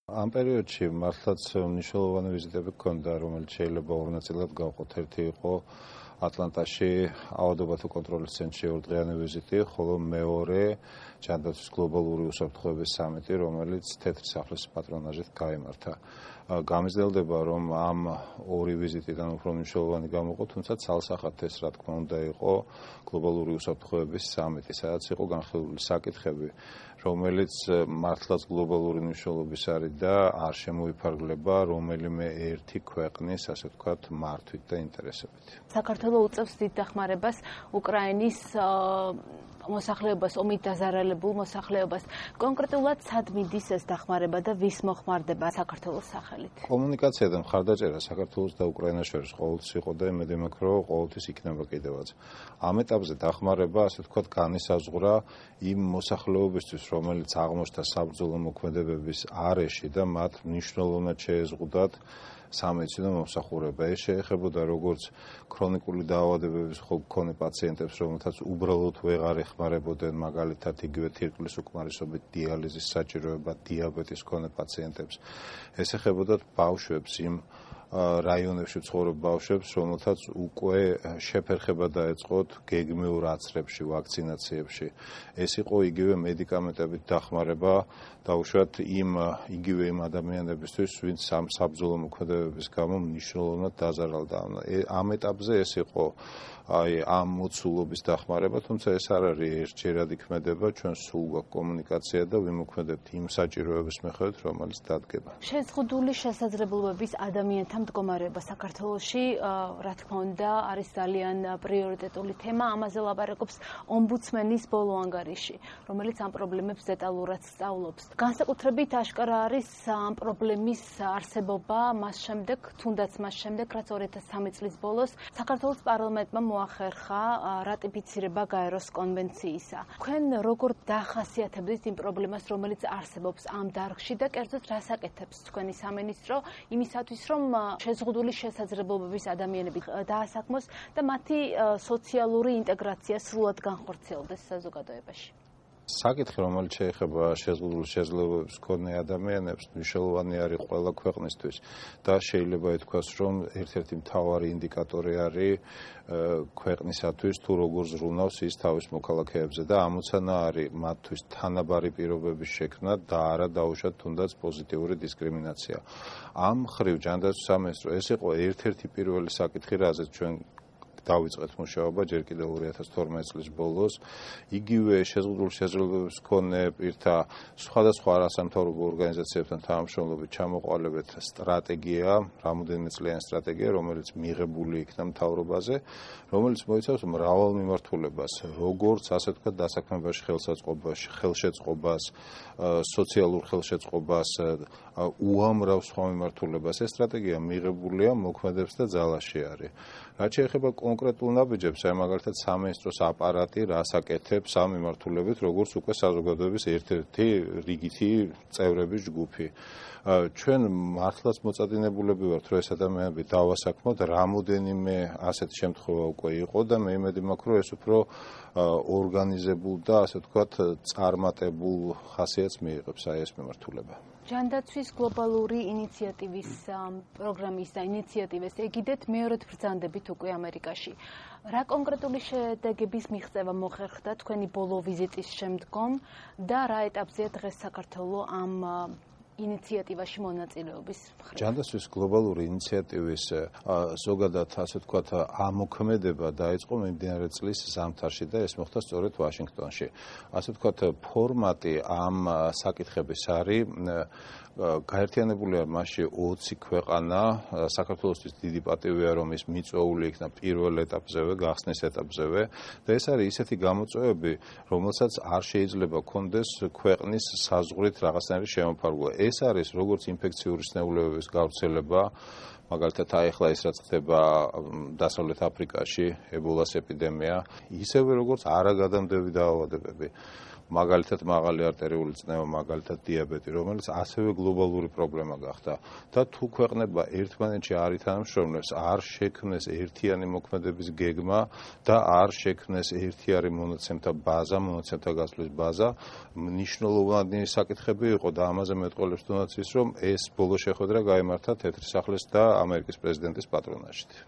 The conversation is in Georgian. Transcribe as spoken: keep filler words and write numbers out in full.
ამ პერიოდში მართლაც მნიშვნელოვანი ვიზიტები ჰქონდა, რომელიც შეიძლება ორ ნაწილად გავყოთ. ერთი იყო ატლანტაში ავადობათა კონტროლის ცენტრში ორდღიანი ვიზიტი, ხოლო მეორე ჯანდაცვის გლობალური უსაფრთხოების სამიტი, რომელიც თეთრი სახლის პატრონაჟით გაიმართა. გამიზნელდება, რომ ამ ორი ვიზიტიდან უფრო მნიშვნელოვანი გამოყო, თუმცა ცალსახად ეს რა თქმა უნდა იყო გლობალური უსაფრთხოების სამიტი, სადაც იყო განხილული საკითხები, რომელიც მართლაც გლობალური მნიშვნელობის არის და არ შემოიფარგლება რომელიმე ერთი ქვეყნის, ასე ვთქვათ, მართვით და ინტერესებით. საქართველოს უწევს დიდ დახმარებას უკრაინის მოსახლეობას, ომით დაზარალებულ მოსახლეობას. კონკრეტულად სად მიდის ეს დახმარება და ვის მოხმარდება საქართველოს სახელით? კომუნიკაცია და მხარდაჭერა საქართველოს და უკრაინას შორის ყოველთვის იყო და იმედი მაქვს, რომ ყოველთვის იქნება კიდევაც. ამ ეტაპზე დახმარება, ასე ვთქვათ, განისაზღვრა იმ მოსახლეობისთვის, რომელიც აღმოჩნდა საბრძოლო მოქმედებების არეში და მათ მნიშვნელოვნად შეეზღუდათ სამედიცინო მომსახურება. ეს შეეხებოდა როგორც ქრონიკული დაავადებების მქონე პაციენტებს, რომელთაც უბრალოდ ვეღარ ეხმარებოდნენ, მაგალითად იგივე თირკმლის უკმარისობით დიალიზის საჭიროება, დიაბეტის მქონე პაციენტებს. ეს ეხებოდა ბავშვებს, იმ რაიონებში ცხოვრობ ბავშვებს, რომელთაც უკვე შეფერხება დაეწყოთ გეგმიურ აცრებში, ვაქცინაციებში. ეს იყო იგივე მედიკამენტებით დახმარება, დაუშვათ იმ იგივე იმ ადამიანებისთვის, ვინც საბრძოლო მოქმედებების გამო მნიშვნელოვნად დაზარალდა. ამ ეტაპზე ეს იყო აი ამ მოცულობის დახმარება, თუმცა ეს არ არის ერთჯერადი ქმედება, ჩვენ სულ გვაქვს კომუნიკაცია და ვიმოქმედებთ იმ საჭიროების მიხედვით, რომელიც დადგება. შეზღუდული შესაძლებლობების ადამიანთა მდგომარეობა საქართველოში, რა თქმა უნდა, არის ძალიან პრიორიტეტული თემა. ამაზე ლაპარაკობს ომბუდსმენის ბოლო ანგარიში, რომელიც ამ პრობლემებს დეტალურად სწავლობს. განსაკუთრებით აშკარა არის ამ პრობლემის არსებობა მას შემდეგ, თუნდაც მას შემდეგ, რაც ორი ათას სამი წლის ბოლოს საქართველოს პარლამენტმა მოახერხა რატიფიცირება გაეროს კონვენციისა. თქვენ როგორ დახასიათებთ იმ პრობლემას, რომელიც არსებობს ამ დარგში და კერძოდ რას აკეთებს თქვენი სამინისტრო იმისათვის, რომ შეზღუდული შესაძლებლობების ადამიანები დაასაქმოს და მათი სოციალური ინტეგრაცია სრულად განხორციელდეს საზოგადოებაში? საკითხი, რომელიც შეეხება შეზღუდული შესაძლებლობების მქონე ადამიანებს, მნიშვნელოვანი არის ყველა ქვეყნისთვის და შეიძლება ითქვას, რომ ერთ-ერთი მთავარი ინდიკატორი არის ქვეყნისათვის თუ როგორ ზრუნავს ის თავის მოქალაქეებზე და ამოცანა არის მათთვის თანაბარი პირობების შექმნა და არა დაუშვათ თუნდაც პოზიტიური დისკრიმინაცია. ამ მხრივ ჯანდაცვის სამინისტრო ეს იყო ერთ-ერთი პირველი საკითხი, რაზეც ჩვენ დავიწყეთ მუშაობა ჯერ კიდევ ორი ათას თორმეტი წლის ბოლოს. იგივე შეზღუდული შესაძლებლობების მქონე პირთა სხვადასხვა არასამთავრობო ორგანიზაციებთან თანამშრომლობით ჩამოყალიბეთ სტრატეგია, რამოდენიმე წლიანი სტრატეგია, რომელიც მიღებული იქნა მთავრობაზე, რომელიც მოიცავს მრავალ მიმართულებას, როგორც ასე ვთქვათ, დასაქმებაში ხელსაწყობას, ხელშეწყობას, სოციალურ ხელშეწყობას, უამრავ სხვა მიმართულებას. ეს სტრატეგია მიღებულია, მოქმედებს და ძალაში არის. რაც შეეხება კონკრეტულ ნაბიჯებს, აი მაგალითად სამინისტროს აპარატი რას აკეთებს ამ მიმართულებით, როგორც უკვე საზოგადოების ერთ-ერთი რიგითი წევრების ჯგუფი. ჩვენ მართლაც მოწადინებულები ვართ, რომ ეს ადამიანები დავასაქმოთ, რამოდენიმე ასეთი შემთხვევა უკვე იყო და მე იმედი მაქვს, რომ ეს უფრო ორგანიზებულ და ასე ვთქვათ, წარმატებულ ხასიათს მიიღებს აი ეს მიმართულება. ჯანდაცვის გლობალური ინიციატივის პროგრამის და ინიციატივას ეგიდეთ მეორედ ბრძანდებით უკვე ამერიკაში. რა კონკრეტული შედეგების მიღწევა მოხერხდა თქვენი ბოლო ვიზიტის შემდგომ და რა ეტაპზეა დღეს საქართველოს ამ ინიციატივაში მონაწილეობის მხრივ? ჯანდაცვის გლობალური ინიციატივის ზოგადად ასე ვთქვათ ამოქმედება დაიწყო მიმდინარე წლის ზამთარში და ეს მოხდა სწორედ ვაშინგტონში. ასე ვთქვათ ფორმატი ამ საკითხების არის გაერთიანებულია მასში ოცი ქვეყანა. საქართველოსთვის დიდი პატივია, რომ ის მიწვეული იქნა პირველ ეტაპზევე, გახსნის ეტაპზევე და ეს არის ისეთი გამოწვევები, რომელსაც არ შეიძლება კონდეს ქვეყნის საზღვრით რაღაცნაირი შემოფარგლა. ეს არის როგორც ინფექციური სნეულებების გავრცელება, მაგალითად ახლა ის რაც ხდება დასავლეთ აფრიკაში, ებოლას ეპიდემია, ისევე როგორც არაგადამდები დაავადებები. მაგალითად მაღალი არტერიული წნევა, მაგალითად დიაბეტი, რომელიც ასევე გლობალური პრობლემა გახდა და თუ ქვეყნება ერთმანეთში არ ითანამშრომლებს, არ შექმნეს ერთიანი მოქმედების გეგმა და არ შექმნეს ერთიანი მონაცემთა ბაზა, მონაცემთა გასვლის ბაზა, მნიშვნელოვანი საკითხები იყო და ამაზე მეტყველებს თუნდაც ის, რომ ეს ბოლო შეხვედრა გაიმართა თეთრი სახლის და ამერიკის პრეზიდენტის პატრონაჟით.